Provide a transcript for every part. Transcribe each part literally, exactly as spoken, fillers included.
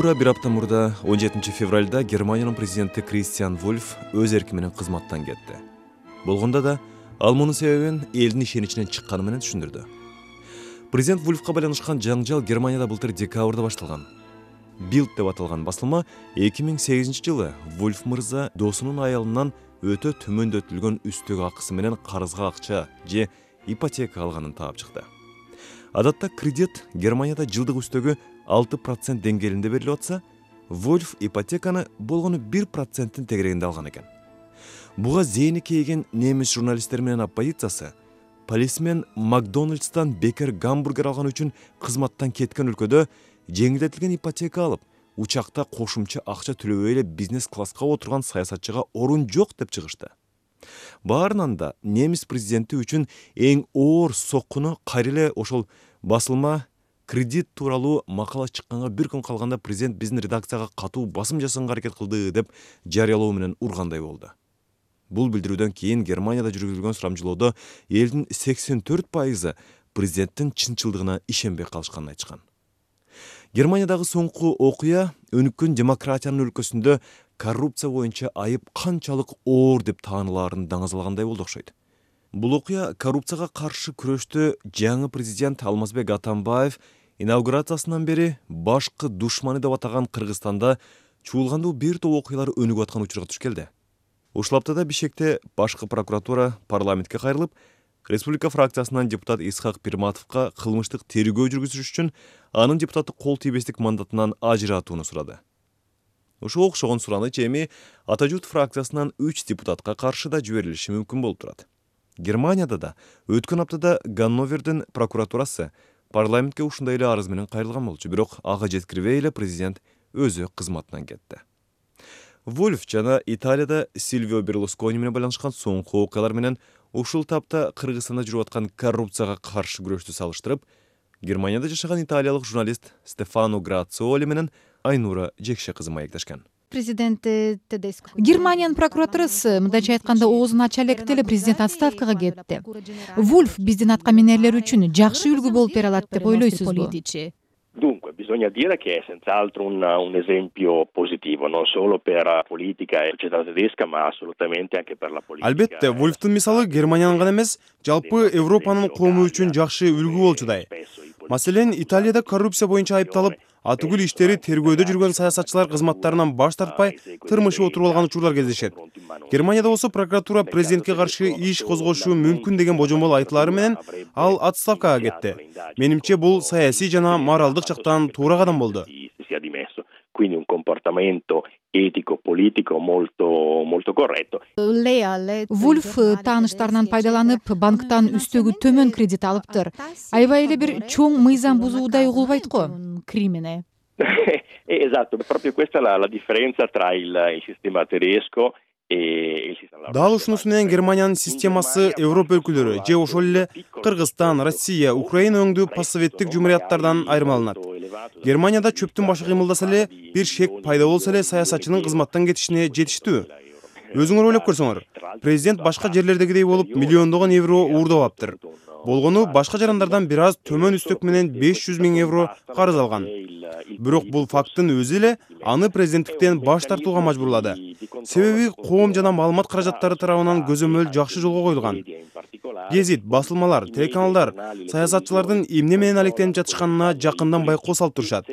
туура бир апта мурда он жетинчи февралда Германиянын президенти Кристиан Вульф өз эрки менен кызматтан кетти. Болгондо да ал мунун себебин элдин ишеничинен чыкканы менен түшүндүрдү. Президент Вульфка байланышкан жаңжал Германияда былтыр декабрда башталган. Bild деп аталган басылма эки миң сегизинчи жылы Вульф мырза досунун аялынан өтө төмөндөтүлгөн үстөк акысы менен карызга акча же ипотека алганын таап чыкты. Адатта кредит Германияда жылдык үстөгү алты процент деңгээлинде берилип атса, Вульф ипотеканы болгону бир проценттин тегерегинде алган экен. Буга зээни кейген немис журналисттери менен оппозициясы полисмен Макдональдстан бекер гамбургер алган үчүн кызматтан кеткен өлкөдө жеңилдетилген ипотека алып, учакта кошумча акча төлөбөй эле бизнес класска отурган саясатчыга орун жок деп чыгышты. Баарынан да немис президенти үчүн эң оор соккуну кайра эле ошол басылма кредит тууралуу макала чыкканга бир күн калганда президент биздин редакцияга катуу басым жасаганга аракет кылды деп жарыялоо менен ургандай болду. Бул билдирүүдөн кийин Германияда жүргүзүлгөн сурамжылоодо элдин сексен төрт пайызы президенттин чынчылдыгына ишенбей калышканын айтышкан. Германиядагы соңку окуя өнүккөн демократиянын өлкөсүндө коррупция боюнча айып канчалык оор деп таанылаарын даңазалагандай болду окшойт. Бул окуя коррупцияга каршы күрөштө жаңы президент Алмазбек Атамбаев инаугурациясынан бери башкы душманы деп атаган Кыргызстанда чуулгандуу бир топ окуялар өнүгүп аткан учурга туш келди. Ушул аптада Бишкекте башкы прокуратура парламентке кайрылып, республика фракциясынан депутат Исхак Пирматовго кылмыштык тергөө жүргүзүш үчүн анын депутаттык кол тийбестик мандатынан ажыратууну сурады. Ушул окшогон сураныч эми Ата журт фракциясынан үч депутатка каршы да жиберилиши мүмкүн болуп турат. Германияда да өткөн аптада Ганновердин прокуратурасы парламентке ушундай эле арыз менен кайрылган болчу, бирок ага жеткирбей эле президент өзү кызматынан кетти. Вульф жана Италияда Сильвио Берлускони менен байланышкан соңку окуялар менен ушул тапта Кыргызстанда жүрүп аткан коррупцияга каршы күрөштү салыштырып, Германияда жашаган италиялык журналист Стефано Грациоли менен Айнура Жекше кызы маектешкен. Президент Тедеско Германиянын прокуратурасы мындайча айтканда оозун ача электе эле президент отставкага кетти. Вульф биздин аткаминерлер үчүн жакшы үлгү болуп бере алат деп ойлойсузбу? Dunque, bisogna dire che è senz'altro un, un esempio positivo, non solo per la politica e la società tedesca, ma assolutamente anche per la politica. Албетте, Вульфтун мисалы Германиянын гана эмес, жалпы Европанын коому үчүн жакшы үлгү болчудай. Маселен, Италияда коррупция боюнча айыпталып, атүгүл иштери тергөөдө жүргөн саясатчылар кызматтарынан баш тартпай, тырмышып отуруп алган учурлар кездешет. Германияда болсо прокуратура президентке каршы иш козгошу мүмкүн деген божомол айтылары менен ал отставкага кетти. Менимче бул саясий жана моралдык жактан туура кадам болду. Quindi un comportamento etico politico molto molto corretto. Вульф тааныштарынан пайдаланып, банктан үстөгү төмөн кредит алыптыр. Аябай эле бир чоң мыйзам бузуудай угулбайт го, кримине. Esatto, proprio questa è la, la differenza tra il, il sistema tedesco. Дал ушунусу менен Германиянын системасы Европа өлкөлөрү же ошол эле Кыргызстан, Россия, Украина өңдүү постсоветтик жумурияттардан айырмаланат. Германияда чөптүн башы кыймылдаса эле, бир шек пайда болсо эле саясатчынын кызматтан кетишине жетиштүү. Өзүңөр ойлоп көрсөңөр, президент башка жерлердегидей болуп миллиондогон евро уурдап аптыр. Болгону башка жарандардан бир аз төмөн үстөк менен беш жүз миң евро карыз алган. Бирок бул факттын өзү эле аны президенттиктен баш тартууга мажбурлады. Себеби коом жана маалымат каражаттары тарабынан көзөмөл жакшы жолго коюлган. Гезит, басылмалар, телеканалдар саясатчылардын эмне менен алектенип жатышканына жакындан байкоо салып турушат.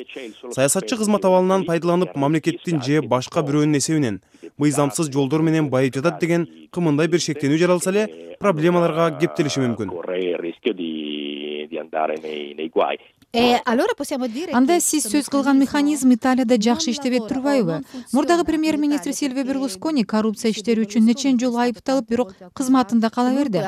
Саясатчы кызмат абалынан пайдаланып, мамлекеттин же башка бирөөнүн эсебинен мыйзамсыз жолдор менен байып жатат деген кымындай бир шектенүү жаралса эле, проблемаларга кептелиши мүмкүн. Анда сиз сөз кылган механизм Италияда жакшы иштебей турбайбы? Мурдагы премьер-министр Сильвио Берлускони коррупция иштери үчүн нечен жолу айыпталып, бирок кызматында кала берди.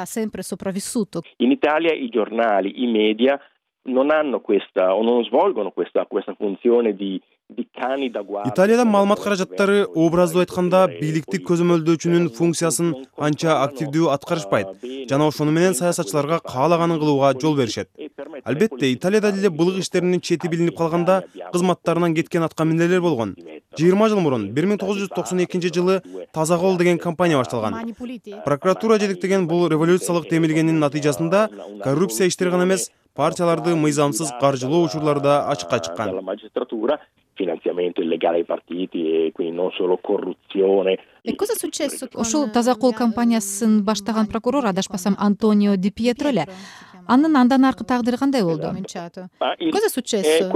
In Italia i giornali, i media non hanno questa o non svolgono questa questa funzione di Италияда маалымат каражаттары образдуу айтканда бийликти көзөмөлдөөчүнүн функциясын анча активдүү аткарышпайт жана ошону менен саясатчыларга каалаганын кылууга жол беришет. Албетте, Италияда деле былык иштеринин чети билинип калганда кызматтарынан кеткен аткаминерлер болгон. жыйырма жыл мурун бир миң тогуз жүз токсон экинчи жылы Таза кол деген компания башталган. Прокуратура жетектеген бул революциялык демилгенин натыйжасында коррупция иштери гана эмес, партияларды мыйзамсыз каржылоо учурлары да ачыкка чыккан. finanziamento illegale ai partiti e quindi non solo corruzione. Ошол таза кол компаниясын баштаган прокурор, адашпасам, Антонио Ди Пьетро эле. Анын андан аркы тагдыры кандай болду? Cosa successo?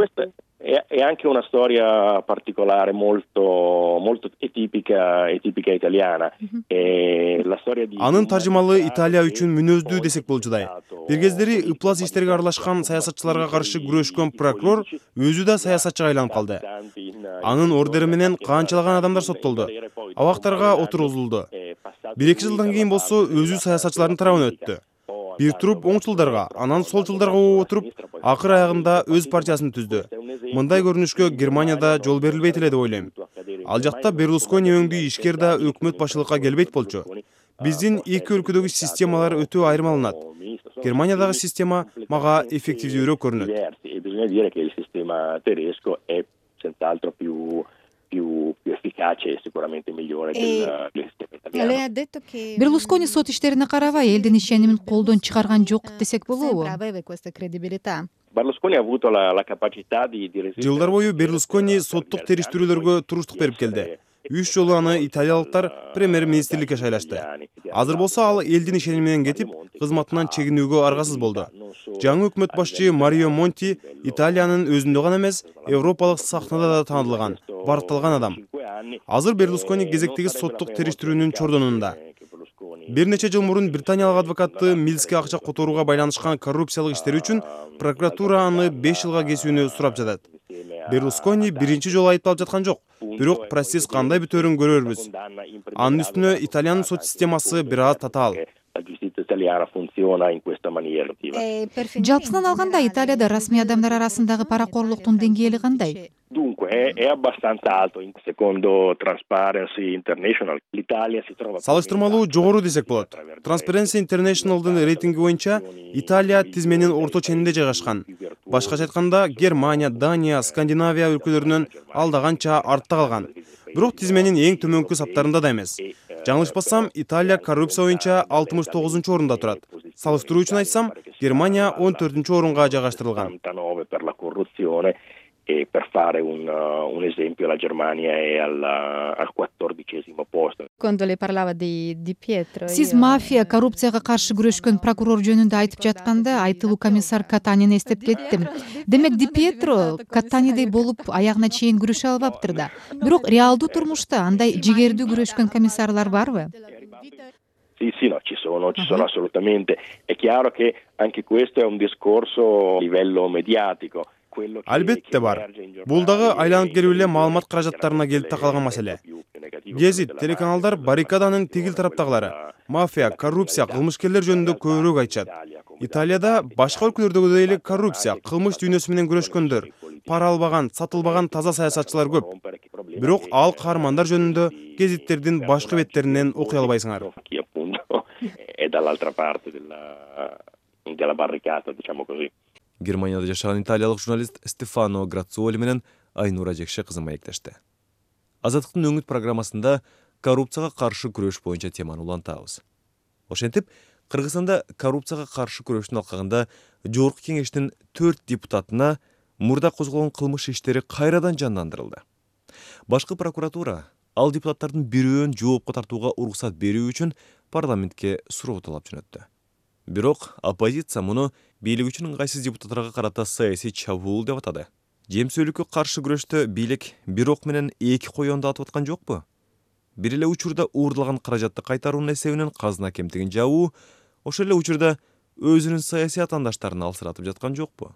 È anche una storia particolare molto molto tipica e tipica italiana. E la storia di Анын таржымалы Италия үчүн мүнөздүү десек болчудай. Бир кездери ыплас иштерге аралашкан саясатчыларга каршы күрөшкөн прокурор өзү да саясатчыга айланып калды. Анын ордери менен канчалаган адамдар соттолду, абактарга отургузулду. бир эки жылдан кийин болсо өзү саясатчылардын тарабына өттү. Бир туруп оңчулдарга, анан солчулдарга болуп отуруп, акыр аягында өз партиясын түздү. Мындай көрүнүшкө Германияда жол берилбейт эле деп ойлойм. Ал жакта Берлускони өңдүү ишкер да өкмөт башчылыкка келбейт болчу. Биздин эки өлкөдөгү системалар өтө айырмаланат. Германиядагы система мага эффективдүүрөөк көрүнөт. Bisogna dire che il sistema tedesco è senz'altro più più più efficace e sicuramente migliore del sistema italiano. Берлускони сот иштерине карабай элдин ишенимин колдон чыгарган жок десек болобу? Berlusconi ha avuto la, la capacità di, di resistere. Жылдар бою Берлускони соттук териштирүүлөргө туруштук берип келди. Үч жолу аны италиялыктар премьер-министрликке шайлашты. Азыр болсо ал элдин ишеними менен кетип, кызматынан чегинүүгө аргасыз болду. Жаңы өкмөт башчы Марио Монти Италиянын өзүндө гана эмес, европалык сахнада да таанылган, баркталган адам. Азыр Берлускони кезектеги соттук териштирүүнүн чордонунда. Бир нече жыл мурун британиялык адвокаты Милске акча которууга байланышкан коррупциялык иштери үчүн прокуратура аны беш жылга кесүүнү сурап жатат. Берлускони биринчи жолу айыпталып жаткан жок, бирок процесс кандай бүтөөрүн көрөрбүз. Анын үстүнө Италиянын сот системасы бир аз татаал. Жалпысынан алганда Италияда расмий адамдар арасындагы паракорлуктун деңгээли кандай? Dunque è, è abbastanza alto, secondo Transparency International. L'Italia si trova Салыштырмалуу жогору десек болот. Transparency International'дын рейтинги боюнча Италия тизменин орто ченинде жайгашкан. Башкача айтканда, Германия, Дания, Скандинавия өлкөлөрүнөн алда канча артта калган. Бирок тизменин эң төмөнкү саптарында да эмес. Жаңылышпасам, Италия коррупция боюнча алтымыш тогузунчу орунда турат. Салыштыруу үчүн айтсам, Германия он төртүнчү орунга жайгаштырылган. E per fare un, uh, un esempio la Germania è al, al quattordicesimo posto. Quando lei parlava di Di Pietro. Сиз мафия, коррупцияга каршы күрөшкөн прокурор жөнүндө айтып жатканда, айтылуу комиссар Катанини эстеп кеттим. Демек Ди Пьетро Катанидей болуп аягына чейин күрөшө албаптыр да. Бирок реалдуу турмушта андай жигердүү күрөшкөн комиссарлар барбы? Sì, sì, no, ci sono, ci sono assolutamente. È chiaro che anche questo è un discorso a livello mediatico. Албетте бар. Бул дагы айланып келип эле маалымат каражаттарына келип такалган маселе. Гезит, телеканалдар баррикаданын тигил тараптагылары, мафия, коррупция, кылмышкерлер жөнүндө көбүрөөк айтышат. Италияда башка өлкөлөрдөгүдөй эле коррупция, кылмыш дүйнөсү менен күрөшкөндөр, пара албаган, сатылбаган таза саясатчылар көп. Бирок ал каармандар жөнүндө гезиттердин башкы беттеринен окуй албайсыңар. È dall'altra parte della della barricata, diciamo così. Германияда жашаган италиялык журналист Стефано Грациоли менен Айнура Жекше кызы маектешти. Азаттыктын өңүт программасында коррупцияга каршы күрөш боюнча теманы улантабыз. Ошентип, Кыргызстанда коррупцияга каршы күрөштүн алкагында Жогорку кеңештин төрт депутатына мурда козголгон кылмыш иштери кайрадан жандандырылды. Башкы прокуратура ал депутаттардын бирөөн жоопко тартууга уруксат берүү үчүн парламентке суроо талап жөнөттү. Бирок оппозиция муну бийлик үчүн ыңгайсыз депутаттарга карата саясий чабуул деп атады. Жемсөөлүккө каршы күрөштө бийлик бир ок менен эки коёнду атып аткан жокпу? Бир эле учурда уурдалган каражатты кайтаруунун эсебинен казына кемтигин жабуу, ошол эле учурда өзүнүн саясий атаандаштарын алсыратып жаткан жокпу?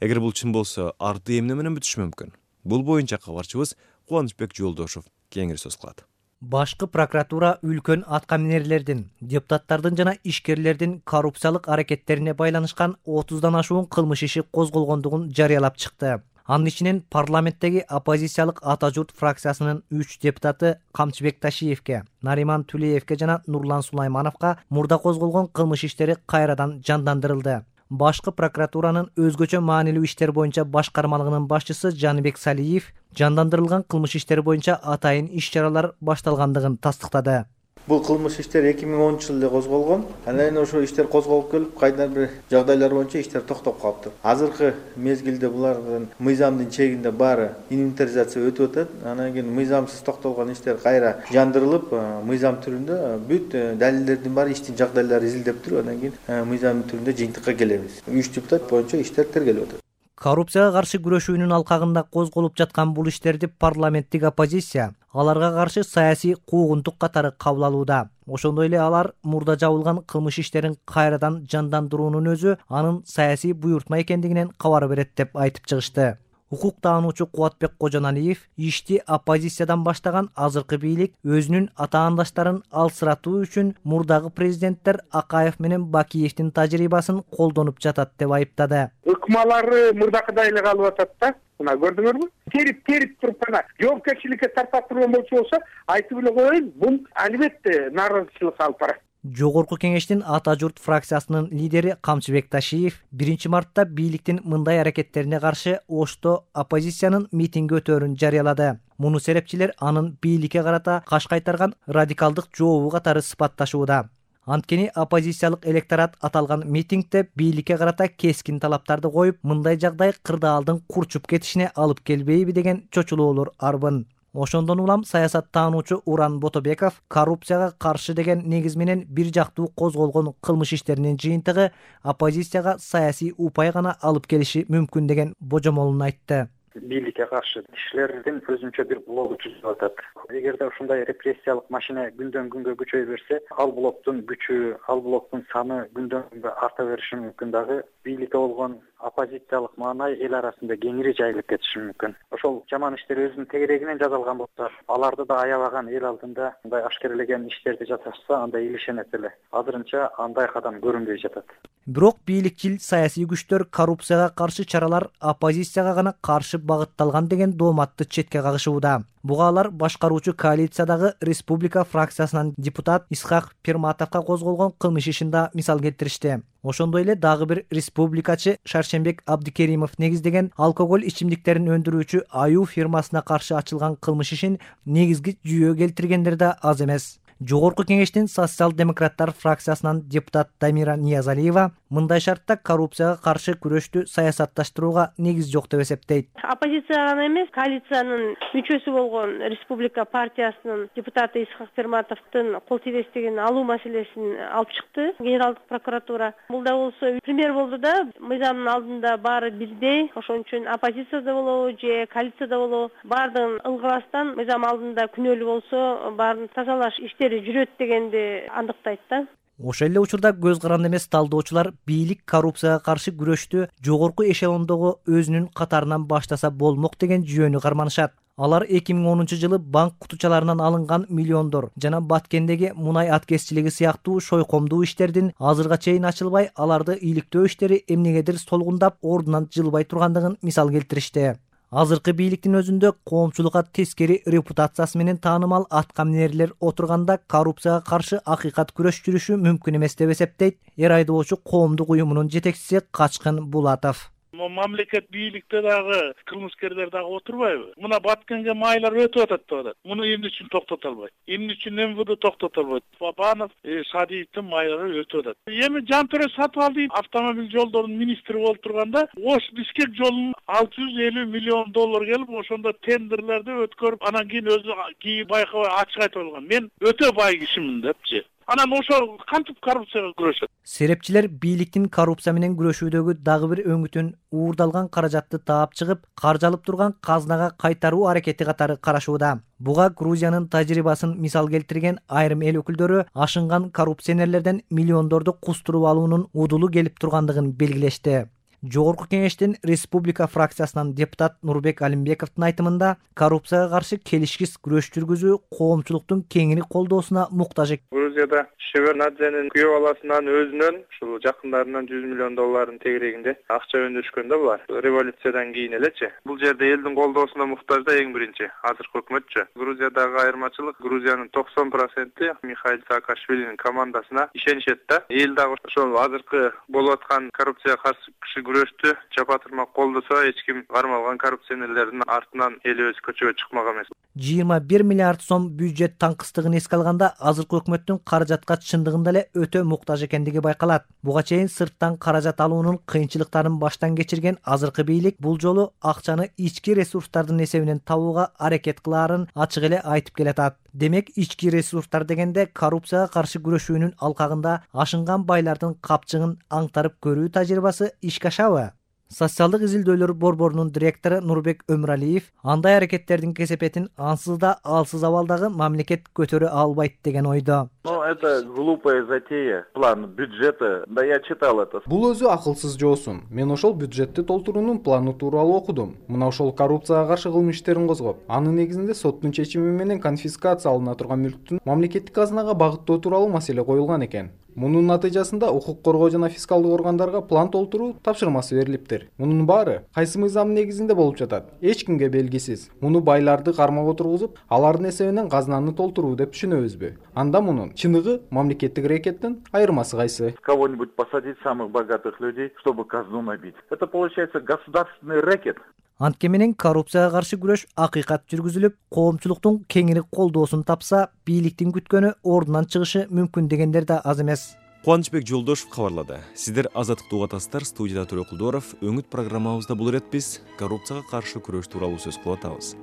Эгер бул чын болсо, арты эмне менен бүтүшү мүмкүн? Бул боюнча кабарчыбыз Кубанычбек Жолдошов кеңири сөз кылат. Башкы прокуратура үлкөн аткаминерлердин, депутаттардын жана ишкерлердин коррупциялык аракеттерине байланышкан отуздан ашуун кылмыш иши козголгондугун жарыялап чыкты. Анын ичинен парламенттеги оппозициялык Ата журт фракциясынын үч депутаты Камчыбек Ташиевке, Нариман Тулеевке жана Нурлан Сулаймановго мурда козголгон кылмыш иштери кайрадан жандандырылды. Башкы прокуратуранын өзгөчө маанилүү иштер боюнча башкармалыгынын башчысы Жаныбек Салиев жандандырылган кылмыш иштери боюнча атайын иш-чаралар башталгандыгын тастыктады. Бул кылмыш иштер эки миң онунчу жылы козголгон. Андан кийин ошо иштер козголуп келип, кайдан бир жагдайлар боюнча иштер токтоп калыптыр. Азыркы мезгилде булардын мыйзамдын чегинде баары инвентаризация өтүп атат. Андан кийин мыйзамсыз токтолгон иштер кайра жандырылып, мыйзам түрүндө бүт далилдердин баары иштин жагдайлары изилдеп туруп, андан кийин мыйзам түрүндө жыйынтыкка келебиз. үч депутат боюнча иштер тергелип атат. Коррупцияга каршы күрөшүүнүн алкагында козголуп жаткан бул иштерди парламенттик оппозиция аларга каршы саясий куугунтук катары кабыл алууда. Ошондой эле алар мурда жабылган кылмыш иштерин кайрадан жандандыруунун өзү анын саясий буйртма экендигинен кабар берет деп айтып чыгышты. Укук таануучу Кубатбек Кожоналиев ишти оппозициядан баштаган азыркы бийлик өзүнүн атаандаштарын алсыратуу үчүн мурдагы президенттер Акаев менен Бакиевдин тажрыйбасын колдонуп жатат деп айыптады. Ыкмалары мурдакыдай эле калып атат да. Мына көрдүңөрбү? Терип терип туруп гана жоопкерчиликке тарпаттырган болчу болсо, айтып эле коеюн, бул албетте нааразычылык алып барат. Жогорку кеңештин Ата журт фракциясынын лидери Камчыбек Ташиев биринчи мартта бийликтин мындай аракеттерине каршы Ошто оппозициянын митинги өтөөрүн жарыялады. Муну серепчилер анын бийликке карата каш кайтарган радикалдык жообу катары сыпатташууда. Анткени оппозициялык электорат аталган митингде бийликке карата кескин талаптарды коюп, мындай жагдай кырдаалдын курчуп кетишине алып келбейби деген чочулоолор арбын. Ошондон улам саясаттануучу Уран Ботобеков коррупцияга каршы деген негиз менен бир жактуу козголгон кылмыш иштеринин жыйынтыгы оппозицияга саясий упай гана алып келиши мүмкүн деген божомолун айтты. Бийликке каршы кишилердин өзүнчө бир блогу түзүлүп атат. Эгерде ушундай репрессиялык машина күндөн күнгө күчөй берсе, ал блоктун күчү, ал блоктун саны күндөн күнгө арта бериши мүмкүн. Дагы бийликте болгон оппозициялык маанай эл арасында кеңири жайылып кетиши мүмкүн. Ошол жаман иштер өзүнүн тегерегинен жазалган болсо, аларды да аябаган эл алдында мындай ашкерелеген иштерди жасашса, анда илишенет эле. Азырынча андай кадам көрүнбөй жатат. Бирок бийликчил саясий күчтөр коррупцияга каршы чаралар оппозицияга гана каршы багытталган деген дооматты четке кагышууда. Буга алар башкаруучу коалициядагы республика фракциясынан депутат Исхак Перматовго козголгон кылмыш ишин да мисал келтиришти. Ошондой эле дагы бир республикачы Шаршембек Абдикеримов негиздеген алкоголь ичимдиктерин өндүрүүчү Аю фирмасына каршы ачылган кылмыш ишин негизги жүйө келтиргендер да аз эмес. Жогорку кеңештин социал-демократтар фракциясынан депутат Дамира Ниязалиева мындай шартта коррупцияга каршы күрөштү саясатташтырууга негиз жок деп эсептейт. Оппозиция гана эмес, коалициянын мүчөсү болгон Республика партиясынын депутаты Исхак Перматовдун кол тийбестигин алуу маселесин алып чыкты Генералдык прокуратура. Бул да болсо пример болду да, мыйзамдын алдында баары бирдей, ошон үчүн оппозицияда болобу же коалицияда болобу, баардыгын ылгыбастан мыйзам алдында күнөөлүү болсо, баарын тазалаш иштери жүрөт дегенди андыктайт да. Ошол эле учурда көз каранды эмес талдоочулар бийлик коррупцияга каршы күрөштү жогорку эшелондогу өзүнүн катарынан баштаса болмок деген жүйөнү карманышат. Алар эки миң онунчу жылы банк кутучаларынан алынган миллиондор жана Баткендеги мунай аткезчилиги сыяктуу шойкомдуу иштердин азырга чейин ачылбай, аларды иликтөө иштери эмнегедир солгундап ордунан жылбай тургандыгын мисал келтиришти. Азыркы бийликтин өзүндө коомчулукка тескери репутациясы менен таанымал аткаминерлер отурганда коррупцияга каршы акыйкат күрөш жүрүшү мүмкүн эмес деп эсептейт эр айдоочу коомдук уюмунун жетекчиси Качкын Булатов. Мамлекет бийликте дагы кылмыскерлер дагы отурбайбы? Мына Баткенге майлар өтүп атат деп атат. Муну эмне үчүн токтото албайт? Эмне үчүн эм вэ дэ токтото албайт? Бабанов, Садиевдин майлары өтүп атат. Эми Жантөре Сатыбалдиев автомобиль жолдорунун министри болуп турганда, Ош Бишкек жолун алты жүз элүү миллион доллар келип, ошондо тендерлерди өткөрүп, анан кийин өзү кийин байкабай ачык айтып алган. Мен өтө бай кишимин депчи. Анан ошол кантип коррупцияга күрөшөт? Серепчилер бийликтин коррупция менен күрөшүүдөгү дагы бир өңүтүн уурдалган каражатты таап чыгып, каржалып турган казнага кайтаруу аракети катары карашууда. Буга Грузиянын тажрыйбасын мисал келтирген айрым эл өкүлдөрү ашынган коррупционерлерден миллиондорду кустуруп алуунун удулу келип тургандыгын белгилешти. Жогорку кеңештин республика фракциясынан депутат Нурбек Алимбековдун айтымында коррупцияга каршы келишкис күрөш жүргүзүү коомчулуктун кеңири колдоосуна муктаж. Грузияда Шеварднадзенин күйөө баласынан өзүнөн ушул жакындарынан жүз миллион доллардын тегерегинде акча өндүрүшкөн да булар. Революциядан кийин элечи. Бул жерде элдин колдоосуна муктаж да эң биринчи азыркы өкмөтчү. Грузиядагы айырмачылык Грузиянын токсон проценти Михаил Саакашвилинин командасына ишенишет да. Эл дагы ошол азыркы болуп аткан коррупцияга каршы күрөштү чапа турмак колдосо эч ким кармалган коррупционерлердин артынан эл өзү көчөгө чыкмак эмес. жыйырма бир миллиард сом бюджет таңкыстыгын эске алганда азыркы өкмөттүн каражатка чындыгында эле өтө муктаж экендиги байкалат. Буга чейин сырттан каражат алуунун кыйынчылыктарын баштан кечирген азыркы бийлик бул жолу акчаны ички ресурстардын эсебинен табууга аракет кылаарын ачык эле айтып келатат. Демек, ички ресурстар дегенде коррупцияга каршы күрөшүүнүн алкагында ашынган байлардын капчыгын аңтарып көрүү тажрыйбасы ишке ашабы? Социалдык изилдөөлөр борборунун директору Нурбек Өмүралиев андай аракеттердин кесепетин ансыз да алсыз абалдагы мамлекет көтөрө албайт деген ойдо. Ну, это глупая затея. План бюджета, да я читал это. Бул өзү акылсыз жоосун. Мен ошол бюджетти толтуруунун планы тууралуу окудум. Мына ошол коррупцияга каршы кылмыш иштерин козгоп, анын негизинде соттун чечими менен конфискация алына турган мүлктүн мамлекеттик казынага багыттоо тууралуу маселе коюлган экен. Мунун натыйжасында укук коргоо жана фискалдык органдарга план толтуруу тапшырмасы берилиптир. Мунун баары кайсы мыйзам негизинде болуп жатат? Эч кимге белгисиз. Муну байларды кармап отургузуп, алардын эсебинен казынаны толтуруу деп түшүнөбүзбү? Анда мунун чыныгы мамлекеттик рэкеттин айырмасы кайсы? Кого-нибудь посадить самых богатых людей, чтобы казну набить. Это получается государственный рэкет. Антке менен коррупцияга каршы күрөш акыйкат жүргүзүлүп, коомчулуктун кеңири колдоосун тапса, бийликтин күткөнү ордунан чыгышы мүмкүн дегендер да аз эмес. Кубанычбек Жолдошев кабарлады. Сиздер Азаттыкты угатасыздар, студияда Төрө Кулдоров. Өңүт программабызда бул ирет биз коррупцияга каршы күрөш тууралуу сөз кылып атабыз.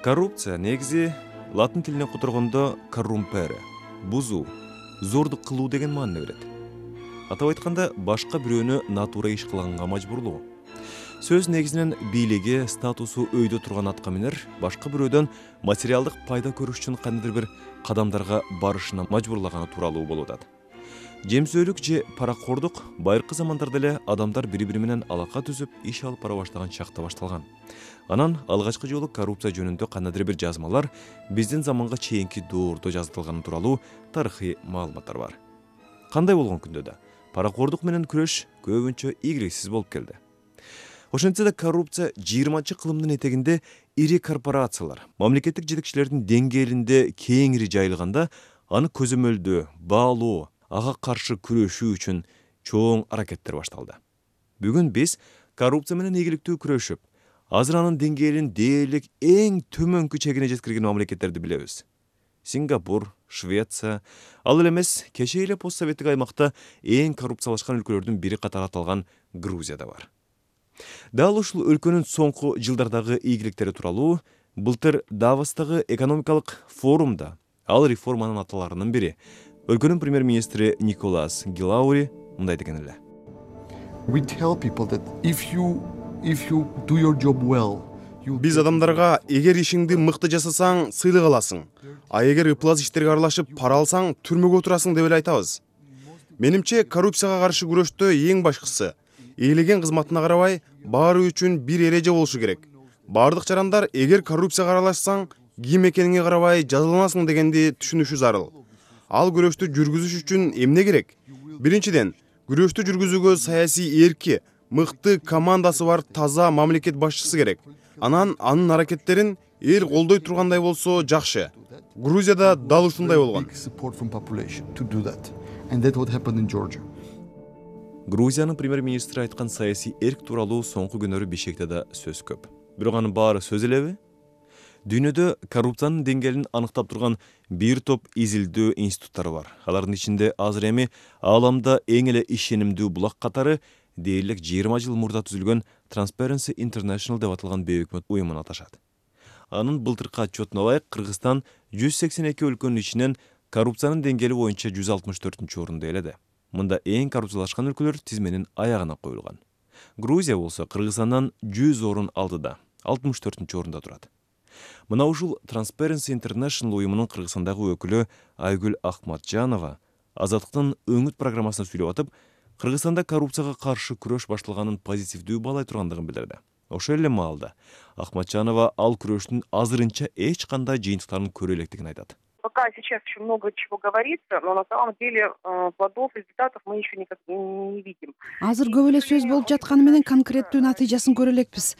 Коррупция негизи латын тилине которгондо коррумпере, бузуу, зордук кылуу деген маани берет. Атап айтканда, башка бирөөнү натура иш кылганга мажбурлоо. Сөз негизинен бийлиги, статусу өйдө турган аткаминер башка бирөөдөн материалдык пайда көрүш үчүн кандайдыр бир кадамдарга барышына мажбурлаганы тууралуу болуп атат. Жемсөөлүк же паракордук байыркы замандарда эле адамдар бири-бири менен алака түзүп, иш алып бара баштаган чакта башталган. Анан алгачкы жолу коррупция жөнүндө кандайдыр бир жазмалар биздин заманга чейинки доордо жазылганы тууралуу тарыхый маалыматтар бар. Кандай болгон күндө да паракордук менен күрөш көбүнчө ийгиликсиз болуп келди. Ошентсе да коррупция жыйырманчы кылымдын этегинде ири корпорациялар, мамлекеттик жетекчилердин деңгээлинде кеңири жайылганда, аны көзөмөлдөө, баалоо, ага каршы күрөшүү үчүн чоң аракеттер башталды. Бүгүн биз коррупция менен ийгиликтүү күрөшүп, азыр анын деңгээлин дээрлик эң төмөнкү чегине жеткирген мамлекеттерди билебиз. Сингапур, Швеция, ал эле эмес, кечээ эле постсоветтик аймакта эң коррупциялашкан өлкөлөрдүн бири катары аталган Грузия да бар. Дал ушул өлкөнүн соңку жылдардагы ийгиликтери тууралуу былтыр Давостагы экономикалык форумда ал реформанын аталарынын бири өлкөнүн премьер-министри Николас Гилаури мындай деген эле. We tell people that if you if you do your job well, биз адамдарга эгер ишиңди мыкты жасасаң сыйлык аласың, а эгер ыплас иштерге аралашып пара алсаң түрмөгө отурасың деп эле айтабыз. Менимче коррупцияга каршы күрөштө эң башкысы ээлеген кызматына карабай баары үчүн бир эреже болушу керек. Бардык жарандар эгер коррупцияга аралашсаң ким экениңе карабай жазаланасың дегенди түшүнүшү зарыл. Ал күрөштү жүргүзүш үчүн эмне керек? Биринчиден, күрөштү жүргүзүүгө саясий эрки, мыкты командасы бар таза мамлекет башчысы керек. Анан анын аракеттерин эл колдой тургандай болсо жакшы. Грузияда дал ушундай болгон. Грузиянын премьер-министри айткан саясий эрк тууралуу соңку күнөрү Бишкекте да сөз көп. Бирок анын баары сөз элеби? Дүйнөдө коррупциянын деңгээлин аныктап турган бир топ изилдөө институттары бар. Алардын ичинде азыр эми ааламда эң эле ишенимдүү булак катары дээрлик жыйырма жыл мурда түзүлгөн Transparency International деп аталган бейөкмөт уюмун аташат. Анын былтыркы отчетуна ылайык Кыргызстан жүз сексен эки өлкөнүн ичинен коррупциянын деңгээли боюнча жүз алтымыш төртүнчү орунду ээледи. Мында эң коррупциялашкан өлкөлөр тизменин аягына коюлган. Грузия болсо Кыргызстандан жүз орун алдыда, алтымыш төртүнчү орунда турат. Мына ушул Transparency International уюмунун Кыргызстандагы өкүлү Айгүл Ахматжанова Азаттыктын өңүт программасына сүйлөп атып, Кыргызстанда коррупцияга каршы күрөш башталганын позитивдүү баалай тургандыгын билдирди. Ошол эле маалда Ахматжанова ал күрөштүн азырынча эч кандай жыйынтыктарын көрө электигин айтат. Пока сейчас еще много чего говорится, но на самом деле плодов, результатов мы еще никак не видим. Азыр көп эле сөз болуп жатканы менен конкреттүү натыйжасын көрө элекпиз.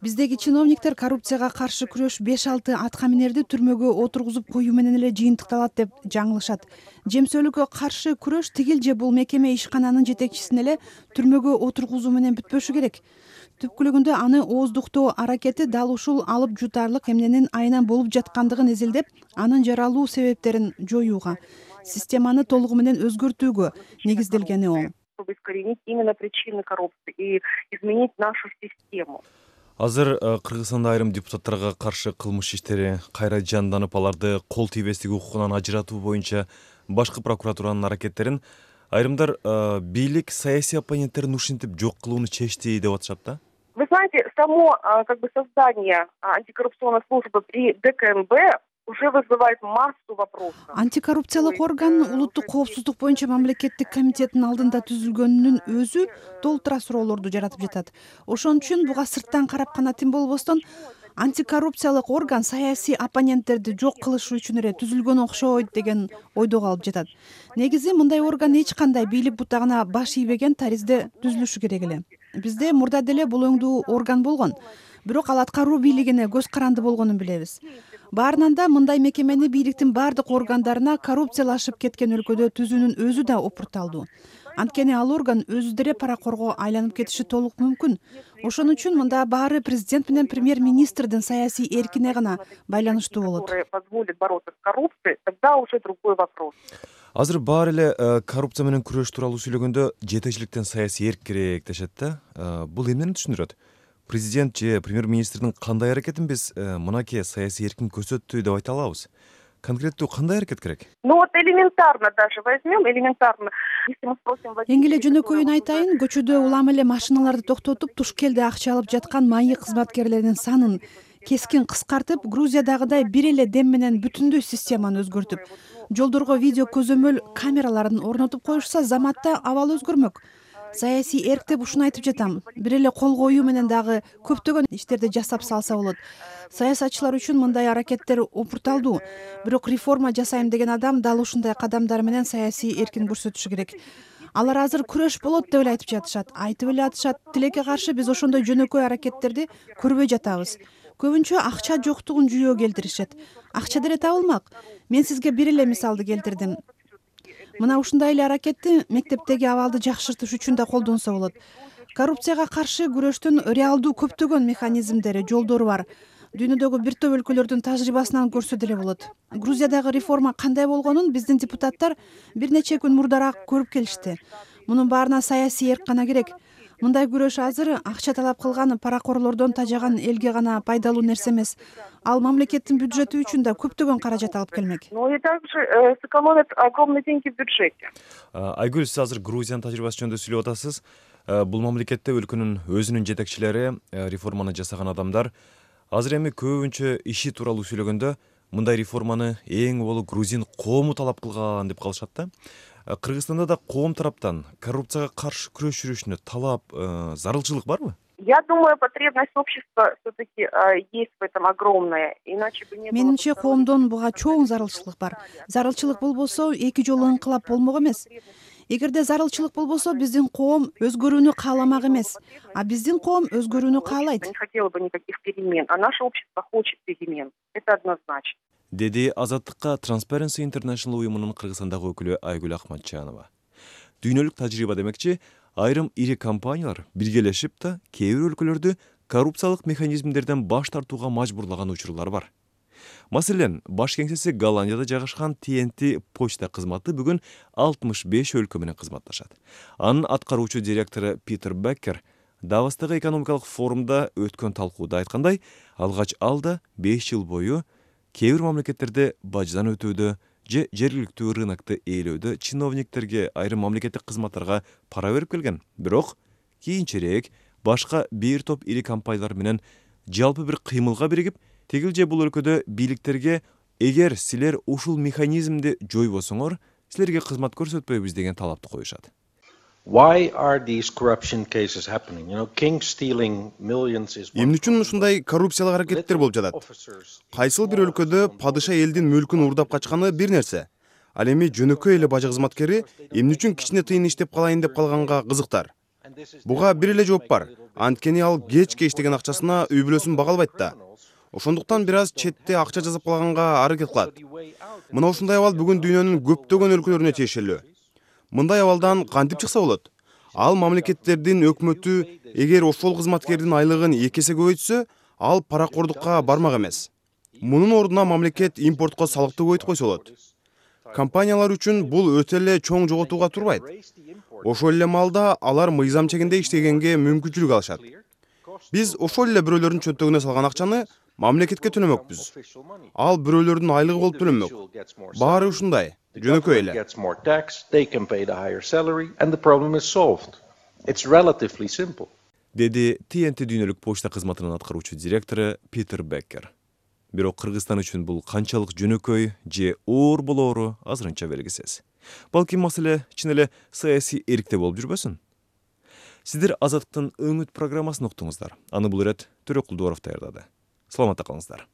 Биздеги чиновниктер коррупцияга каршы күрөш беш алты аткаминерди түрмөгө отургузуп коюу менен эле жыйынтыкталат деп жаңылышат. Жемсөөлүккө каршы күрөш тигил же бул мекеме ишкананын жетекчисин эле түрмөгө отургузуу менен бүтпөшү керек. Түпкүлүгүндө аны ооздуктоо аракети дал ушул алып жутарлык эмненин айынан болуп жаткандыгын эзелдеп, анын жаралуу себептерин жоюуга, системаны толугу менен өзгөртүүгө негизделгени оң. Чтобы искоренить именно причины коррупции и изменить нашу систему. Азыр Кыргызстанда айрым депутаттарга каршы кылмыш иштери кайра жанданып, аларды кол тийбестик укугунан ажыратуу боюнча башкы прокуратуранын аракеттерин айрымдар бийлик саясий оппоненттерин ушинтип жок кылууну чечти деп атышат да. Вы знаете, само как бы создание антикоррупционной службы при ДКНБ уже вызывает массу вопросов. Антикоррупциялык орган улуттук коопсуздук боюнча мамлекеттик комитеттин алдында түзүлгөнүнүн өзү толтура суроолорду жаратып жатат. Ошон үчүн буга сырттан карап гана тим болбостон, антикоррупциялык орган саясий оппоненттерди жок кылыш үчүн эле түзүлгөн окшойт деген ойдо калып жатат. Негизи мындай орган эч кандай бийлик бутагына баш ийбеген таризде түзүлүшү керек эле. Бизде мурда деле бул өңдүү орган болгон, бирок ал аткаруу бийлигине көз каранды болгонун билебиз. Баарынан да мындай мекемени бийликтин бардык органдарына коррупциялашып кеткен өлкөдө түзүүнүн өзү да опурталдуу. Анткени ал орган өзү деле паракорго айланып кетиши толук мүмкүн. Ошон үчүн мында баары президент менен премьер-министрдин саясий эркине гана байланыштуу болот. Позволит бороться с коррупцией, тогда уже другой вопрос. Азыр баары эле коррупция менен күрөш тууралуу сүйлөгөндө жетекчиликтен саясий эрк керек дешет да. Бул эмнени түшүндүрөт? Президент же премьер-министрдин кандай аракетин биз мынакей саясий эркин көрсөттү деп айта алабыз? Конкреттүү кандай аракет керек? Ну вот элементарно даже возьмем, элементарно. Если мы спросим... Эң эле жөнөкөйүн айтайын, көчөдө улам эле машиналарды токтотуп, туш келде акча алып жаткан майы кызматкерлердин санын кескин кыскартып, Грузиядагыдай бир эле дем менен бүтүндөй системаны өзгөртүп, жолдорго видео көзөмөл камераларын орнотуп коюшса, заматта абал өзгөрмөк. Саясий эрк деп ушуну айтып жатам. Бир эле кол коюу менен дагы көптөгөн иштерди жасап салса болот. Саясатчылар үчүн мындай аракеттер опурталдуу. Бирок реформа жасайм деген адам дал ушундай кадамдар менен саясий эркин көрсөтүшү керек. Алар азыр күрөш болот деп эле айтып жатышат. Айтып эле атышат. Тилекке каршы биз ошондой жөнөкөй аракеттерди көрбөй жатабыз. Көбүнчө акча жоктугун жүйөө келтиришет. Акча деле табылмак. Мен сизге бир эле мисалды келтирдим. Мына ушундай эле аракетти мектептеги абалды жакшыртыш үчүн да колдонсо болот. Коррупцияга каршы күрөштүн реалдуу көптөгөн механизмдери, жолдору бар. Дүйнөдөгү бир топ өлкөлөрдүн тажрыйбасынан көрсө деле болот. Грузиядагы реформа кандай болгонун биздин депутаттар бир нече күн мурдараак көрүп келишти. Мунун баарына саясий эрк гана керек. Мындай күрөш азыр акча талап кылган паракорлордон тажаган элге гана пайдалуу нерсе эмес. Ал мамлекеттин бюджети үчүн да көптөгөн каражат алып келмек. Ну и также сэкономят огромные деньги в бюджете. Айгүл, сиз азыр Грузиянын тажрыйбасы жөнүндө сүйлөп атасыз. Бул мамлекетте өлкөнүн өзүнүн жетекчилери, реформаны жасаган адамдар азыр эми көбүнчө иши тууралуу сүйлөгөндө мындай реформаны эң болу грузин коому талап кылган деп калышат да. Кыргызстанда да коом тараптан коррупцияга каршы күрөш жүрүшүнө талап, зарылчылык барбы? Я думаю, потребность общества все-таки есть в этом огромная. Иначе бы не было... Менимче коомдон буга чоң зарылчылык бар. Зарылчылык болбосо эки жолу ыңкылап болмок эмес. Эгерде зарылчылык болбосо биздин коом өзгөрүүнү кааламак эмес, а биздин коом өзгөрүүнү каалайт. Не хотела бы никаких перемен, а наше общество хочет перемен. Это однозначно. Деди Азаттыкка Transparency International уюмунун Кыргызстандагы өкүлү Айгүл Акматжанова. Дүйнөлүк тажрыйба демекчи, айрым ири компаниялар биргелешип да кээ бир өлкөлөрдү коррупциялык механизмдерден баш тартууга мажбурлаган учурлар бар. Маселен, баш кеңсеси Голландияда жайгашкан Ти Эн Ти почта кызматы бүгүн алтымыш беш өлкө менен кызматташат. Анын аткаруучу директору Питер Беккер Давостагы экономикалык форумда өткөн талкууда айткандай, алгач алда беш жыл бою кээ бир мамлекеттерде баждан өтүүдө же жергиликтүү рынокто ээлөөдө чиновниктерге, айрым мамлекеттик кызматтарга пара берип келген. Бирок кийинчерээк башка бир топ ири компаниялар менен жалпы бир кыймылга биригип, тигил же бул өлкөдө бийликтерге эгер силер ушул механизмди жойбосоңор, силерге кызмат көрсөтпөйбүз деген талапты коюшат. Why are these corruption cases happening? You know, king stealing millions is... Эмне үчүн ушундай коррупциялык аракеттер болуп жатат? Кайсыл бир өлкөдө падыша элдин мүлкүн уурдап качканы бир нерсе. Ал эми жөнөкөй эле бажы кызматкери эмне үчүн кичине тыйын иштеп калайын деп калганга кызыктар. Буга бир эле жооп бар. Анткени ал кечке иштеген акчасына үй бүлөсүн бага албайт да. Ошондуктан бир аз четте акча жазып калганга аракет кылат. Мына ушундай абал бүгүн дүйнөнүн көптөгөн өлкөлөрүнө тиешелүү. Мындай абалдан кантип чыкса болот? Ал мамлекеттердин өкмөтү эгер ошол кызматкердин айлыгын эки эсе көбөйтсө, ал паракордукка бармак эмес. Мунун ордуна мамлекет импортко салыкты көбөйтүп койсо болот. Компаниялар үчүн бул өтө эле чоң жоготууга турбайт. Ошол эле маалда алар мыйзам чегинде иштегенге мүмкүнчүлүк алышат. Биз ошол эле бирөөлөрдүн чөнтөгүнө салган акчаны мамлекетке төлөмөкпүз. Ал бирөөлөрдүн айлыгы болуп төлөнмөк. Баары ушундай, жөнөкөй эле. Деди Ти Эн Ти дүйнөлүк почта кызматынын аткаруучу директору Питер Беккер. Бирок Кыргызстан үчүн бул канчалык жөнөкөй же оор болоору азырынча белгисиз. Балким маселе чын эле саясий эркте болуп жүрбөсүн? Сиздер Азаттыктын өңүт программасын уктуңуздар. Аны бул ирет Төрөкул Дуаров даярдады. Саламатта калыңыздар.